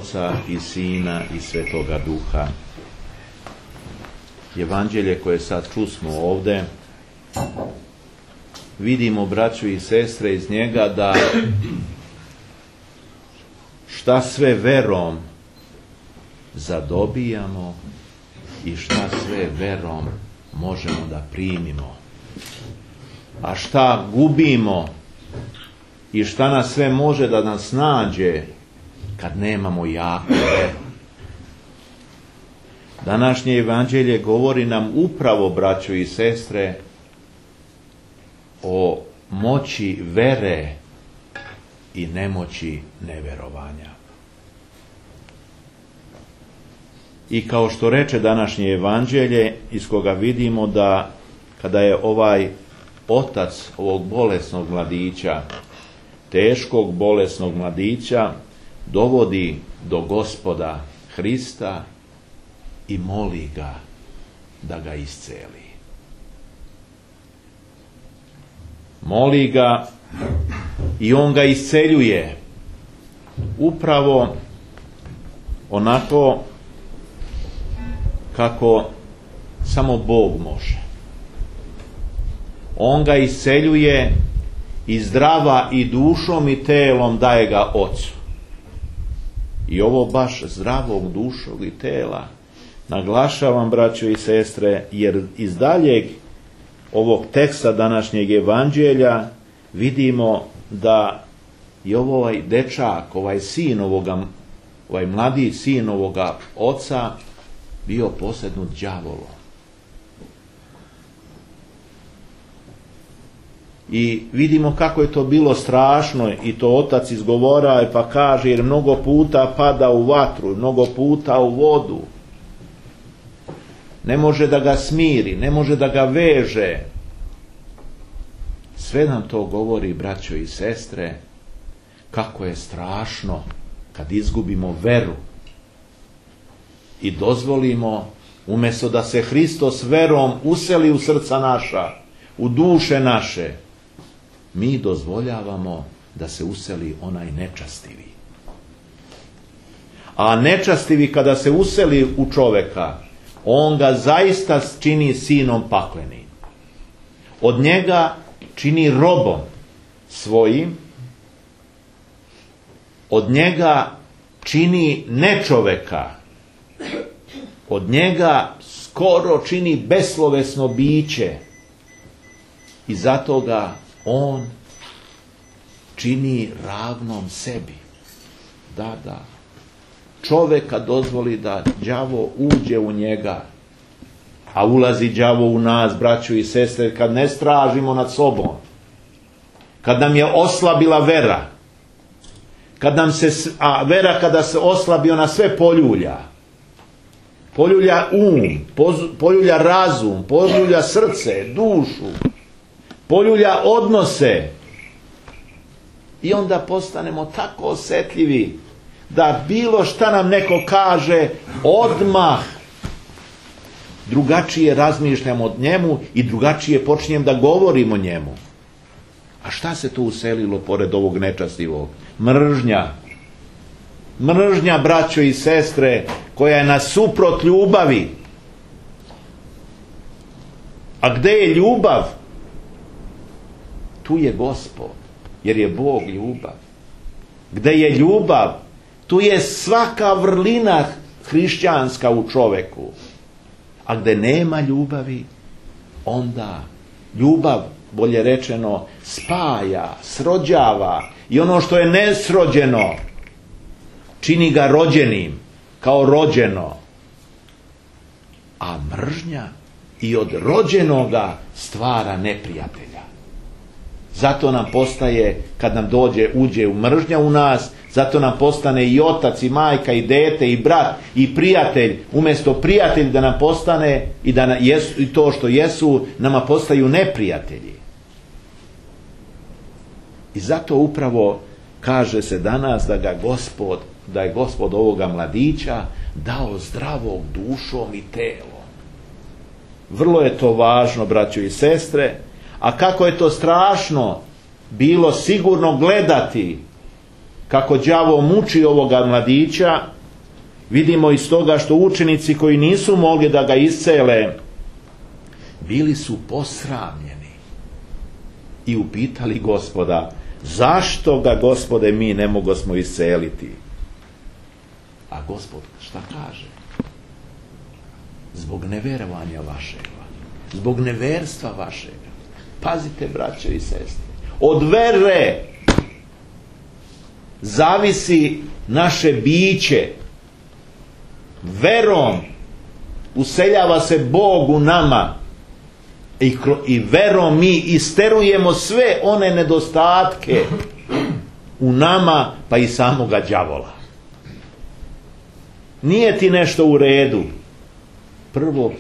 Oca i Sina i Svetoga Duha. Evanđelje koje sad čusmo ovdje, vidimo, braćo i sestre, iz njega da šta sve verom zadobijamo i šta sve verom možemo da primimo, a šta gubimo i šta nas sve može da nas nađe kad nemamo jaku veru. Današnje evanđelje govori nam upravo, braćo i sestre, o moći vere i nemoći neverovanja. I kao što reče današnje evanđelje, iz koga vidimo da kada je ovaj otac ovog bolesnog mladića, teškog bolesnog mladića, dovodi do Gospoda Hrista i moli ga da ga isceli. Moli ga i on ga isceljuje upravo onako kako samo Bog može. On ga isceljuje i zdrava i dušom i telom daje ga Ocu. I ovo baš zdravog dušog i tela naglašavam, braćo i sestre, jer iz daljeg ovog teksta današnjeg evanđelja vidimo da je ovaj dečak, ovaj sin ovoga, ovaj mladi sin ovoga oca bio posednut đavolom. I vidimo kako je to bilo strašno, i to otac izgovora pa kaže, jer mnogo puta pada u vatru, mnogo puta u vodu. Ne može da ga smiri, ne može da ga veže. Sve nam to govori, braćo i sestre, kako je strašno kad izgubimo veru i dozvolimo, umjesto da se Hristos verom useli u srca naša, u duše naše, mi dozvoljavamo da se useli onaj nečastivi. A nečastivi kada se useli u čoveka, on ga zaista čini sinom paklenim. Od njega čini robom svojim, od njega čini nečoveka, od njega skoro čini beslovesno biće i zato ga on čini ravnom sebi. Da. Čoveka dozvoli da đavo uđe u njega, a ulazi đavo u nas, braćo i sestre, kad ne stražimo nad sobom, kad nam je oslabila vera, kad nam se, a vera kada se oslabi, ona sve poljulja. Poljulja poljulja razum, poljulja srce, dušu, poljulja odnose. I onda postanemo tako osjetljivi da bilo šta nam neko kaže, odmah drugačije razmišljam o njemu i drugačije počinjem da govorim o njemu. A šta se tu uselilo pored ovog nečastivog? Mržnja. Mržnja, braćo i sestre, koja je nasuprot ljubavi. A gde je ljubav? Tu je Gospod, jer je Bog ljubav. Gde je ljubav, tu je svaka vrlina hrišćanska u čoveku. A gde nema ljubavi, onda ljubav, bolje rečeno, spaja, srođava, i ono što je nesrođeno čini ga rođenim, kao rođeno. A mržnja i od rođenoga stvara neprijatelja. Zato nam postaje, kad nam uđe u mržnja u nas, zato nam postane i otac, i majka, i dete, i brat, i prijatelj. Umjesto prijatelj da nam postane i to što jesu, nama postaju neprijatelji. I zato upravo kaže se danas da je Gospod ovoga mladića dao zdravog dušom i telom. Vrlo je to važno, braćo i sestre, a kako je to strašno bilo sigurno gledati kako đavo muči ovoga mladića vidimo iz toga što učenici koji nisu mogli da ga iscele, bili su posramljeni i upitali Gospoda, zašto ga, Gospode, mi ne mogosmo isceliti? A Gospod šta kaže? Zbog neverovanja vašega, zbog neverstva vašega. Pazite, braćo i sestre, od vere zavisi naše biće. Verom useljava se Bog u nama i verom mi isterujemo sve one nedostatke u nama, pa i samoga đavola. Nije ti nešto u redu, prvo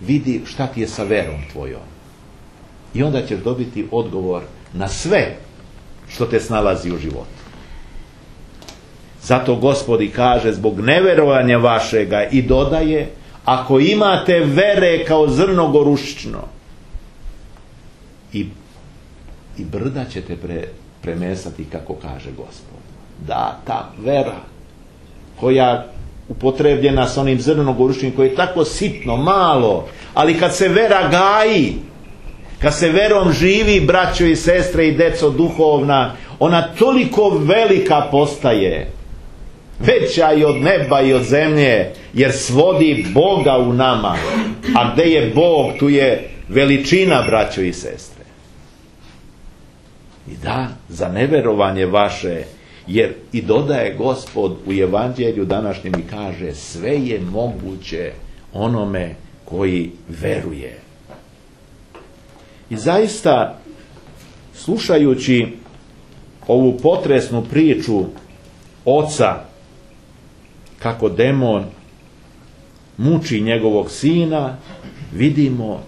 vidi šta ti je sa verom tvojom i onda ćeš dobiti odgovor na sve što te snalazi u životu. Zato Gospod i kaže, zbog neverovanja vašega, i dodaje, ako imate vere kao zrno gorušično, i brda ćete premestati, kako kaže Gospod. Da, ta vera koja upotrebljena s onim zrnom gorušičnim, koje je tako sitno, malo, ali kad se vera gaji, kad se verom živi, braćo i sestre i deco duhovna, ona toliko velika postaje, veća i od neba i od zemlje, jer svodi Boga u nama. A gdje je Bog, tu je veličina, braćo i sestre. I da, za neverovanje vaše, jer i dodaje Gospod u evanđelju današnjem i kaže, sve je moguće onome koji veruje. I zaista, slušajući ovu potresnu priču oca, kako demon muči njegovog sina, vidimo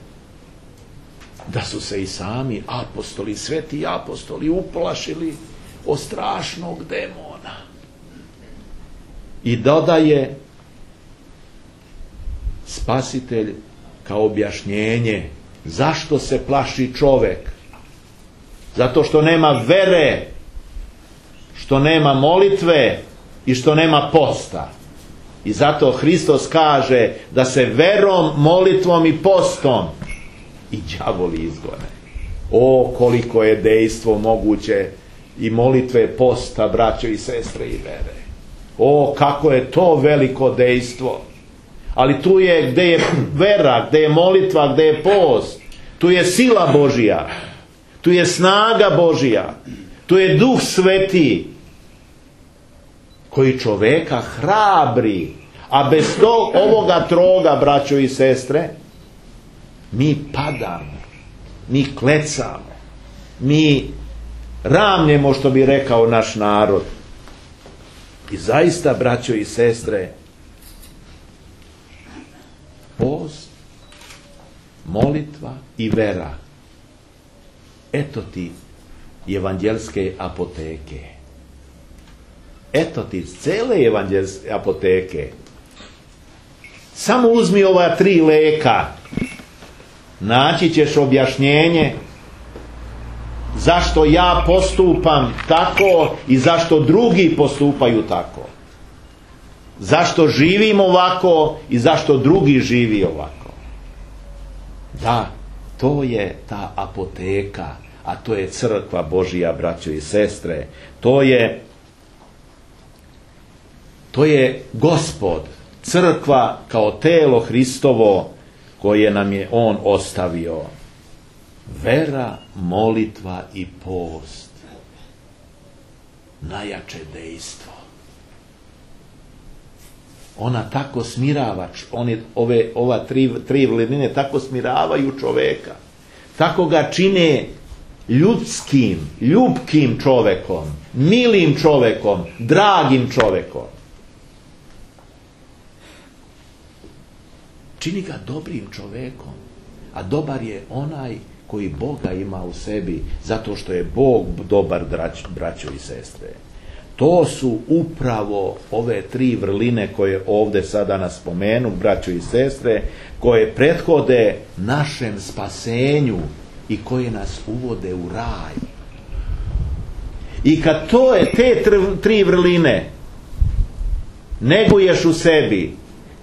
da su se i sami apostoli, sveti apostoli, uplašili od strašnog demona. I dodaje spasitelj kao objašnjenje zašto se plaši čovjek. Zato što nema vere, što nema molitve i što nema posta. I zato Hristos kaže da se verom, molitvom i postom i đavoli izgone. O, koliko je dejstvo moguće i molitve, posta, braćo i sestre, i vere. O, kako je to veliko dejstvo. Ali tu je, gdje je vera, gdje je molitva, gdje je post, tu je sila Božija, tu je snaga Božija, tu je Duh Sveti koji čoveka hrabri. A bez ovoga troga, braćo i sestre, mi padamo, mi klecamo, mi ramljemo, što bi rekao naš narod. I zaista, braćo i sestre, post, molitva i vera, eto ti evanđelske apoteke. Eto ti cele evanđelske apoteke. Samo uzmi ova 3 leka, naći ćeš objašnjenje zašto ja postupam tako i zašto drugi postupaju tako. Zašto živim ovako i zašto drugi živi ovako. Da, to je ta apoteka, a to je crkva Božija, braćo i sestre. To je Gospod, crkva kao telo Hristovo koje nam je On ostavio. Vera, molitva i post. Najjače dejstvo. Ona tako smirava, ova tri vrline tako smiravaju čoveka. Tako ga čine ljudskim, ljubkim čovekom, milim čovekom, dragim čovekom. Čini ga dobrim čovekom, a dobar je onaj koji Boga ima u sebi, zato što je Bog dobar, braćo i sestre. To su upravo ove 3 vrline koje ovdje sada nas spomenu, braćo i sestre, koje prethode našem spasenju i koje nas uvode u raj. I kad te 3 vrline neguješ u sebi,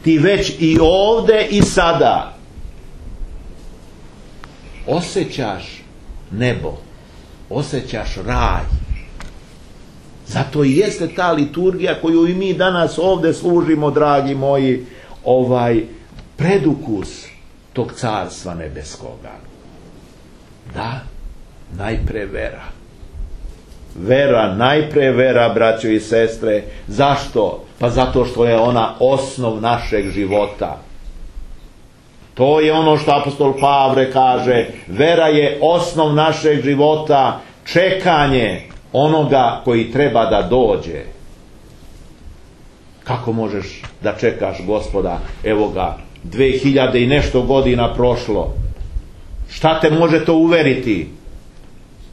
ti već i ovde i sada osjećaš nebo, osjećaš raj. Zato i jeste ta liturgija koju i mi danas ovdje služimo, dragi moji, predukus tog carstva nebeskoga. Da, najpre vera. Vera, najpre vera, braćo i sestre. Zašto? Pa zato što je ona osnov našeg života. To je ono što apostol Pavle kaže. Vera je osnov našeg života, čekanje onoga koji treba da dođe. Kako možeš da čekaš Gospoda? Evo ga, 2000 i nešto godina prošlo. Šta te može to uveriti?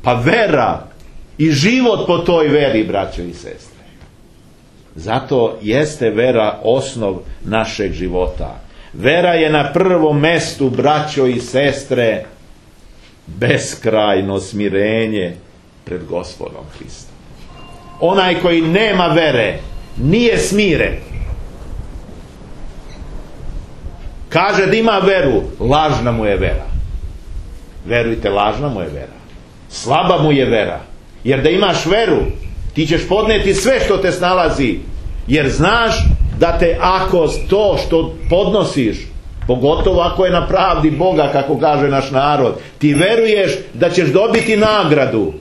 Pa vera i život po toj veri, braćo i sestre. Zato jeste vera osnov našeg života. Vera je na prvom mestu, braćo i sestre, beskrajno smirenje pred Gospodom Hristom. Onaj koji nema vere nije smiren. Kaže da ima veru, lažna mu je vera. Verujte, lažna mu je vera. Slaba mu je vera. Jer da imaš veru, ti ćeš podneti sve što te snalazi. Jer znaš da te ako to što podnosiš, pogotovo ako je na pravdi Boga, kako kaže naš narod, ti veruješ da ćeš dobiti nagradu.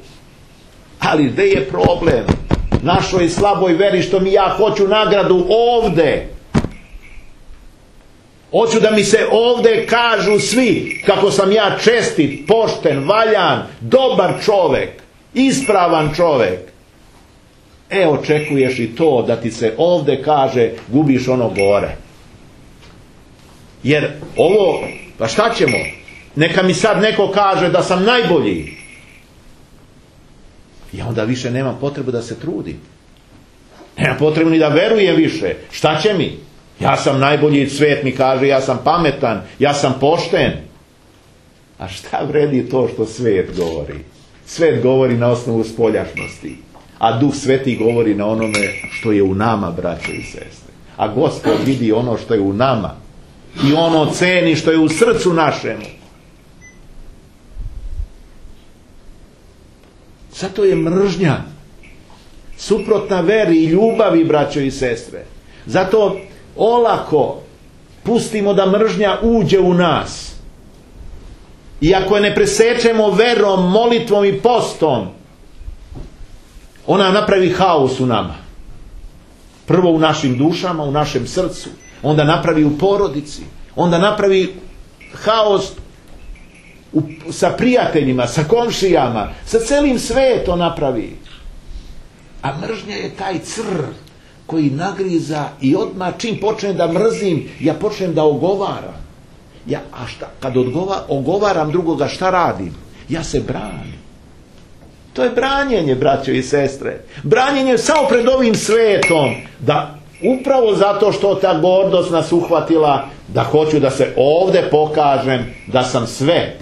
Ali gdje je problem? Našoj slaboj veri što mi ja hoću nagradu ovde. Hoću da mi se ovde kažu svi kako sam ja čestit, pošten, valjan, dobar čovek, ispravan čovek. Očekuješ i to da ti se ovde kaže gubiš ono gore. Jer ovo, pa šta ćemo? Neka mi sad neko kaže da sam najbolji. Ja onda više nemam potrebu da se trudim. Nemam potrebu ni da verujem više. Šta će mi? Ja sam najbolji, svet mi kaže, ja sam pametan, ja sam pošten. A šta vredi to što svet govori? Svet govori na osnovu spoljašnosti. A Duh Sveti govori na onome što je u nama, braćo i sestre. A Gospod vidi ono što je u nama. I ono ceni što je u srcu našemu. Zato je mržnja suprotna veri i ljubavi, braćo i sestre. Zato olako pustimo da mržnja uđe u nas. I ako je ne presečemo verom, molitvom i postom, ona napravi haos u nama. Prvo u našim dušama, u našem srcu. Onda napravi u porodici. Onda napravi haos sa prijateljima, sa komšijama, sa celim svetom napravi. A mržnja je taj crv koji nagriza i odmah čim počnem da mrzim, ja počnem da ogovaram. A šta? Kad ogovaram drugoga, šta radim? Ja se branim. To je branjenje, braćo i sestre. Branjenje samo pred ovim svetom, da upravo zato što ta gordost nas uhvatila, da hoću da se ovde pokažem, da sam sve,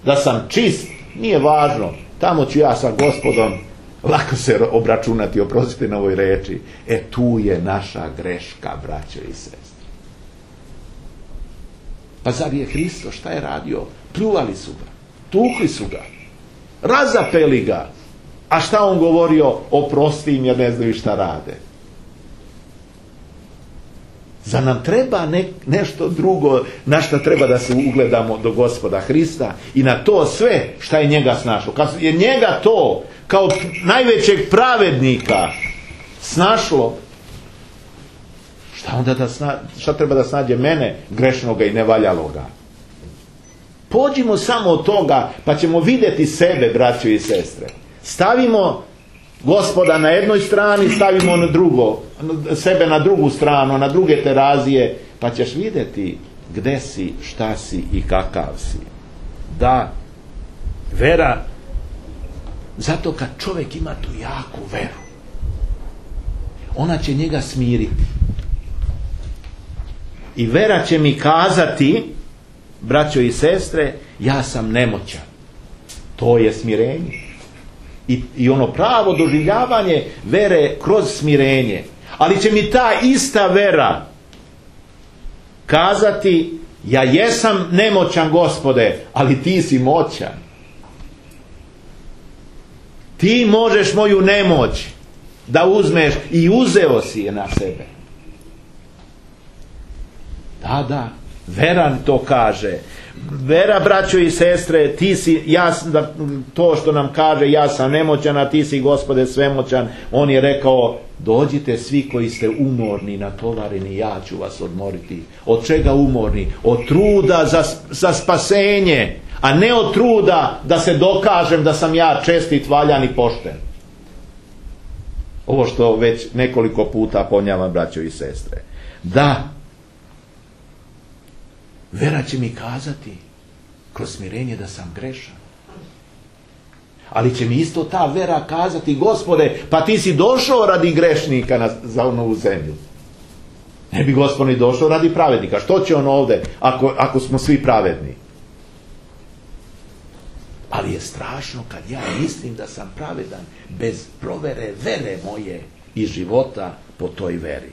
da sam čist, nije važno. Tamo ću ja sa Gospodom lako se obračunati, oprostite na ovoj reči. Tu je naša greška, braćo i sestre. Pa zar je Hristos, šta je radio? Pljuvali su ga, tukli su ga, razapeli ga. A šta on govorio? Oprosti im jer ne znaju šta rade. Zar nam treba nešto drugo na šta treba da se ugledamo do Gospoda Hrista i na to sve šta je njega snašlo? Kad je njega to kao najvećeg pravednika snašlo, šta onda šta treba da snađe mene, grešnoga i nevaljaloga? Pođimo samo od toga pa ćemo vidjeti sebe, braćo i sestre. Stavimo Gospoda na jednoj strani, stavimo sebe na drugu stranu, na druge terazije, pa ćeš vidjeti gde si, šta si i kakav si. Da, vera, zato kad čovjek ima tu jaku veru, ona će njega smiriti. I vera će mi kazati, braćo i sestre, ja sam nemoćan. To je smirenje. I ono pravo doživljavanje vere kroz smirenje. Ali će mi ta ista vera kazati, ja jesam nemoćan, Gospode, ali ti si moćan. Ti možeš moju nemoć da uzmeš i uzeo si je na sebe. Da, vera to kaže. Vera, braćo i sestre, ti si, to što nam kaže, ja sam nemoćan, a ti si, Gospode, svemoćan. On je rekao, dođite svi koji ste umorni, natovareni, ja ću vas odmoriti. Od čega umorni? Od truda za spasenje, a ne od truda da se dokažem da sam ja čestit, valjan i pošten. Ovo što već nekoliko puta ponavljam, braćo i sestre. Da, vera će mi kazati kroz smirenje da sam grešan. Ali će mi isto ta vera kazati, Gospode, pa ti si došao radi grešnika za ovu zemlju. Ne bi Gospod ni došao radi pravednika. Što će on ovdje ako smo svi pravedni? Ali je strašno kad ja mislim da sam pravedan bez provere vere moje i života po toj veri.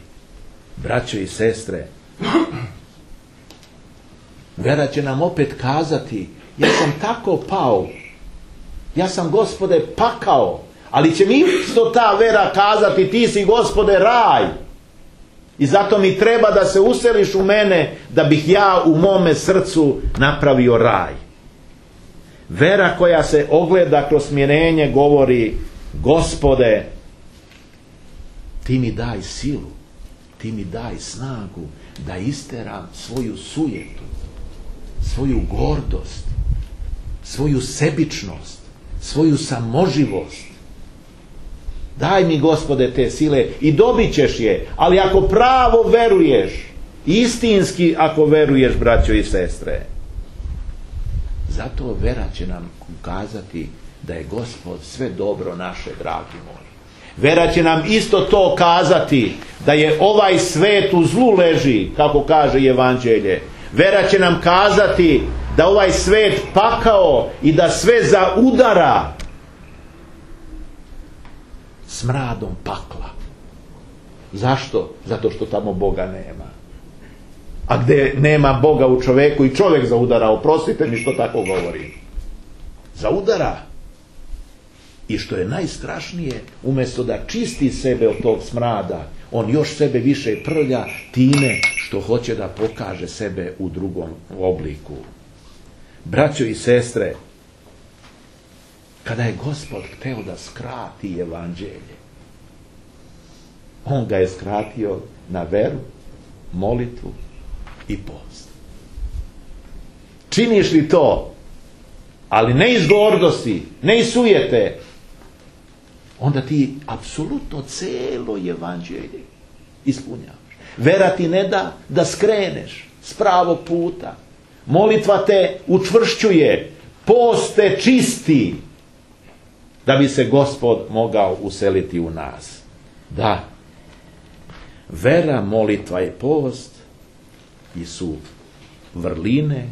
Braćo i sestre, vera će nam opet kazati, ja sam tako pao, ja sam, Gospode, pakao, ali će mi isto ta vera kazati, ti si, Gospode, raj. I zato mi treba da se useliš u mene, da bih ja u mome srcu napravio raj. Vera koja se ogleda kroz smirenje govori, Gospode, ti mi daj silu, ti mi daj snagu da isteram svoju sujetu, svoju gordost, svoju sebičnost, svoju samoživost. Daj mi, Gospode, te sile i dobit ćeš je, ali ako pravo veruješ, istinski ako veruješ, braćo i sestre. Zato vera će nam ukazati da je Gospod sve dobro naše, dragi moji. Vera će nam isto to kazati da je ovaj svet u zlu leži, kako kaže Evanđelje. Vera će nam kazati da ovaj svet pakao i da sve zaudara smradom pakla. Zašto? Zato što tamo Boga nema. A gdje nema Boga u čovjeku i čovjek zaudara, oprostite mi što tako govorim. Zaudara. I što je najstrašnije, umjesto da čisti sebe od tog smrada, on još sebe više prlja time što hoće da pokaže sebe u drugom obliku. Braćo i sestre, kada je Gospod hteo da skrati Evanđelje, on ga je skratio na veru, molitvu i post. Činiš li to, ali ne iz gordosti, ne iz sujete, onda ti apsolutno celo Evanđelje ispunjavaš. Vera ti ne da da skreneš s pravog puta. Molitva te učvršćuje, post te čisti, da bi se Gospod mogao useliti u nas. Da, vera, molitva i post i su vrline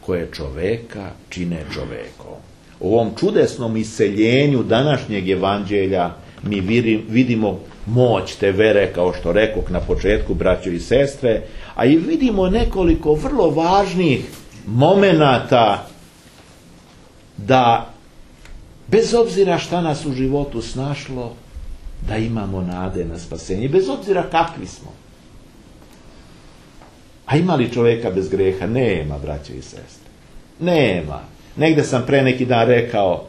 koje čoveka čine čovekom. U ovom čudesnom iseljenju današnjeg Evanđelja mi vidimo moć te vere, kao što rekoh na početku, braćo i sestre, a i vidimo nekoliko vrlo važnih momenata da bez obzira šta nas u životu snašlo, da imamo nade na spasenje, bez obzira kakvi smo. A ima li čovjeka bez greha? Nema, braće i sestre. Nema. Negde sam pre neki dan rekao,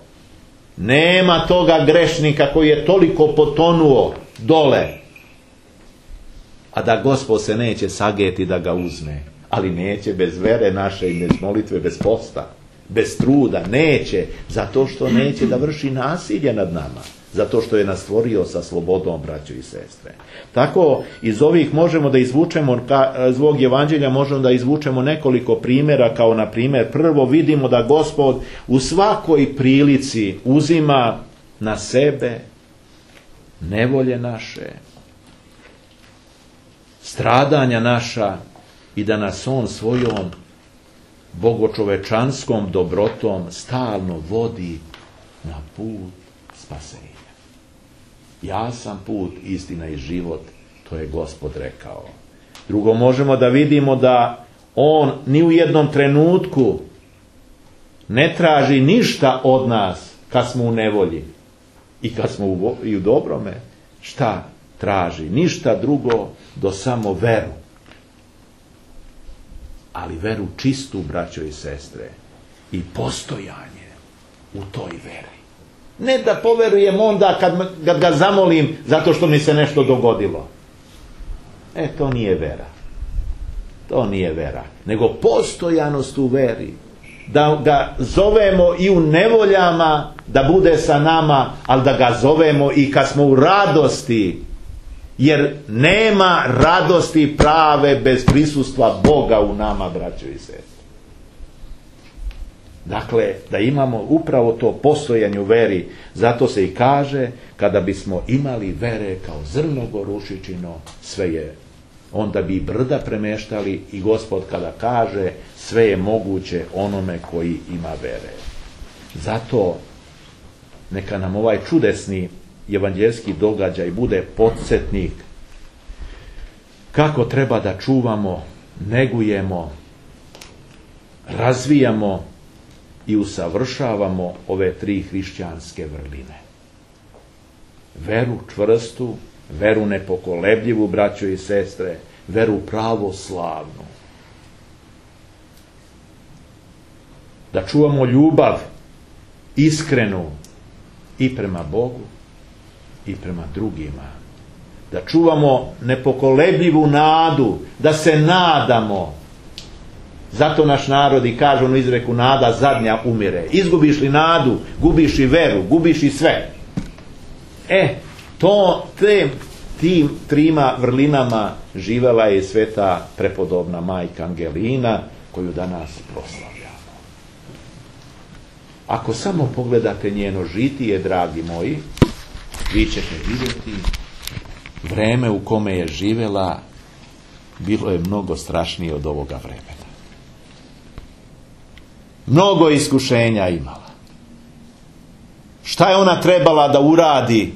nema toga grešnika koji je toliko potonuo dole, a da Gospod se neće sageti da ga uzme. Ali neće bez vere naše i bez molitve, bez posta, bez truda. Neće, zato što neće da vrši nasilje nad nama. Zato što je nas stvorio sa slobodom, braćo i sestre. Tako, iz ovih možemo da izvučemo, iz ovog Evanđelja možemo da izvučemo nekoliko primjera, kao na primjer, prvo vidimo da Gospod u svakoj prilici uzima na sebe nevolje naše, stradanja naša i da nas on svojom bogočovečanskom dobrotom stalno vodi na put spasenja. Ja sam put, istina i život, To je Gospod rekao. Drugo, možemo da vidimo da on ni u jednom trenutku ne traži ništa od nas kad smo u nevolji i kad smo i u dobrome. Šta traži? Ništa drugo do samo veru. Ali veru čistu, braćo i sestre, i postojanje u toj veri. Ne da poverujem onda kad ga zamolim zato što mi se nešto dogodilo. To nije vera. To nije vera. Nego postojanost u veri. Da ga zovemo i u nevoljama, da bude sa nama, ali da ga zovemo i kad smo u radosti. Jer nema radosti prave bez prisustva Boga u nama, braćo i sestre. Dakle, da imamo upravo to postojanje u veri, zato se i kaže, kada bismo imali vere kao zrno gorušičino, sve je. Onda bi brda premeštali i Gospod kada kaže, sve je moguće onome koji ima vere. Zato neka nam ovaj čudesni evanđeljski događaj bude podsjetnik kako treba da čuvamo, negujemo, razvijamo i usavršavamo ove 3 hrišćanske vrline. Veru čvrstu, veru nepokolebljivu, braćo i sestre, veru pravoslavnu. Da čuvamo ljubav iskrenu i prema Bogu i prema drugima. Da čuvamo nepokolebljivu nadu, da se nadamo. Zato naš narod i kaže u izreku, nada zadnja umire. Izgubiš li nadu, gubiš i veru, gubiš i sve. Tim 3 vrlinama živela je sveta prepodobna majka Angelina, koju danas proslavljamo. Ako samo pogledate njeno žitije, dragi moji, vi ćete vidjeti vreme u kome je živela bilo je mnogo strašnije od ovoga vremena. Mnogo iskušenja imala. Šta je ona trebala da uradi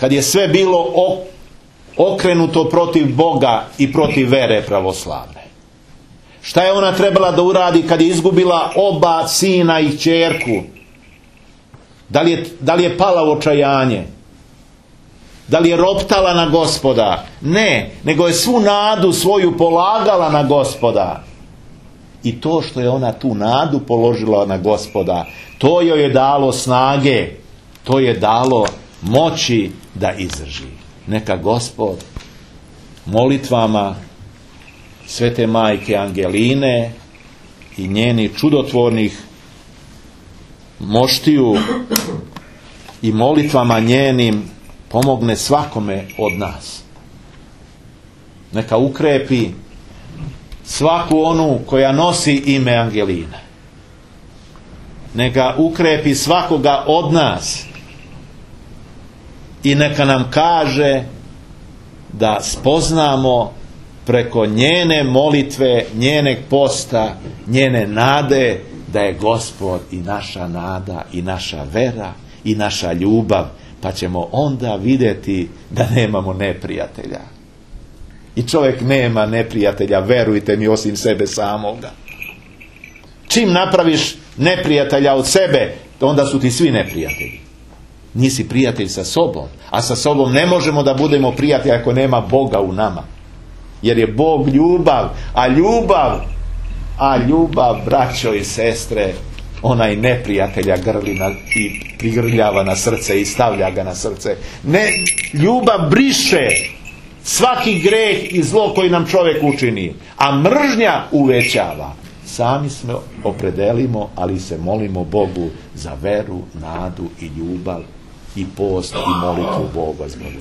kad je sve bilo okrenuto protiv Boga i protiv vere pravoslavne? Šta je ona trebala da uradi kad je izgubila oba sina i kćerku? Da li je pala u očajanje? Da li je roptala na Gospoda? Ne, nego je svu nadu svoju polagala na Gospoda. I to što je ona tu nadu položila na Gospoda, to joj je dalo snage, to je dalo moći da izdrži. Neka Gospod molitvama svete majke Angeline i njenih čudotvornih moštiju i molitvama njenim pomogne svakome od nas. Neka ukrepi svaku onu koja nosi ime Angelina. Neka ukrepi svakoga od nas i neka nam kaže da spoznamo preko njene molitve, njenog posta, njene nade, da je Gospod i naša nada i naša vera i naša ljubav, pa ćemo onda vidjeti da nemamo neprijatelja. I čovjek nema neprijatelja, verujte mi, osim sebe samoga. Čim napraviš neprijatelja od sebe, onda su ti svi neprijatelji. Nisi prijatelj sa sobom, a sa sobom ne možemo da budemo prijatelji ako nema Boga u nama. Jer je Bog ljubav, a ljubav, braćo i sestre, onaj neprijatelja grli i prigrljava na srce i stavlja ga na srce. Ne, ljubav briše svaki greh i zlo koji nam čovjek učini, a mržnja uvećava. Sami smo opredelimo, ali se molimo Bogu za veru, nadu i ljubav i post i molitvu Boga zbog